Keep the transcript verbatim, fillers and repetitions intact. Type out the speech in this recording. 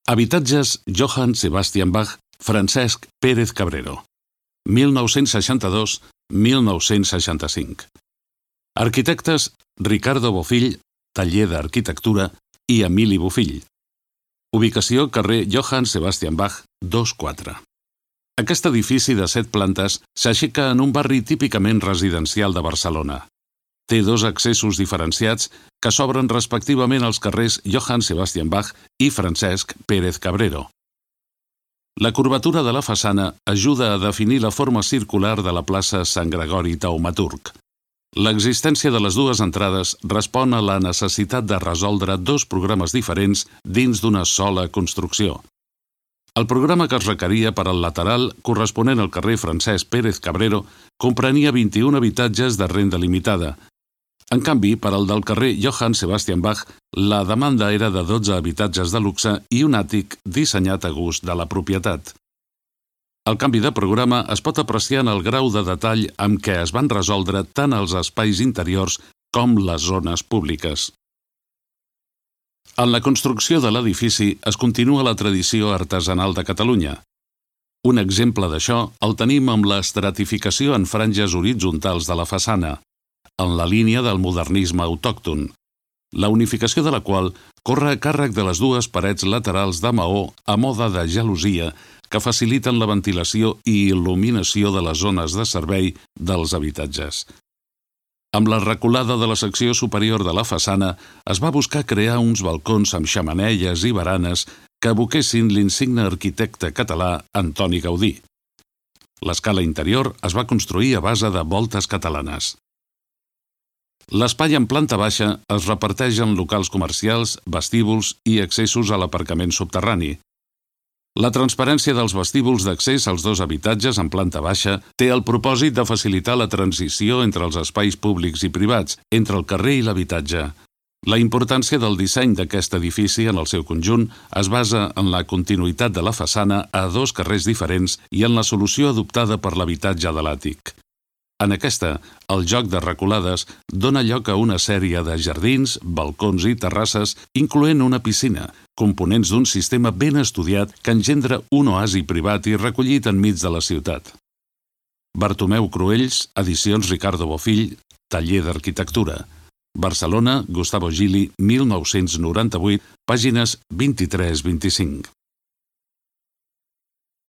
Habitatges Johann Sebastian Bach, Francesc Pérez Cabrero, mil nou-cents seixanta-dos a mil nou-cents seixanta-cinc. Arquitectes Ricardo Bofill, taller d'arquitectura, i Emili Bofill. Ubicació carrer Johann Sebastian Bach, dos quatre. Aquest edifici de set plantes s'aixeca en un barri típicament residencial de Barcelona. Té dos accessos diferenciats que s'obren respectivament als carrers Johann Sebastian Bach i Francesc Pérez Cabrero. La curvatura de la façana ajuda a definir la forma circular de la plaça Sant Gregori Taumaturg. L'existència de les dues entrades respon a la necessitat de resoldre dos programes diferents dins d'una sola construcció. El programa que es requeria per al lateral corresponent al carrer Francesc Pérez Cabrero comprenia vint-i-un habitatges de renda limitada. En canvi, per al del carrer Johann Sebastian Bach, la demanda era de dotze habitatges de luxe i un àtic dissenyat a gust de la propietat. El canvi de programa es pot apreciar en el grau de detall amb què es van resoldre tant els espais interiors com les zones públiques. En la construcció de l'edifici es continua la tradició artesanal de Catalunya. Un exemple d'això el tenim amb l'estratificació en franges horitzontals de la façana, en la línia del modernisme autòcton, la unificació de la qual corre a càrrec de les dues parets laterals de maó a mode de gelosia que faciliten la ventilació i il·luminació de les zones de servei dels habitatges. Amb la reculada de la secció superior de la façana es va buscar crear uns balcons amb xemeneies i baranes que evoquessin l'insigne arquitecte català Antoni Gaudí. L'escala interior es va construir a base de voltes catalanes. L'espai en planta baixa es reparteix en locals comercials, vestíbuls i accessos a l'aparcament subterrani. La transparència dels vestíbuls d'accés als dos habitatges en planta baixa té el propòsit de facilitar la transició entre els espais públics i privats, entre el carrer i l'habitatge. La importància del disseny d'aquest edifici en el seu conjunt es basa en la continuïtat de la façana a dos carrers diferents i en la solució adoptada per l'habitatge de l'àtic. En aquesta, el joc de reculades dona lloc a una sèrie de jardins, balcons i terrasses, incloent una piscina, components d'un sistema ben estudiat que engendra un oasi privat i recollit enmig de la ciutat. Bartomeu Cruells, edicions Ricardo Bofill, taller d'arquitectura. Barcelona, Gustavo Gili, mil nou-cents noranta-vuit, pàgines vint-i-tres a vint-i-cinc.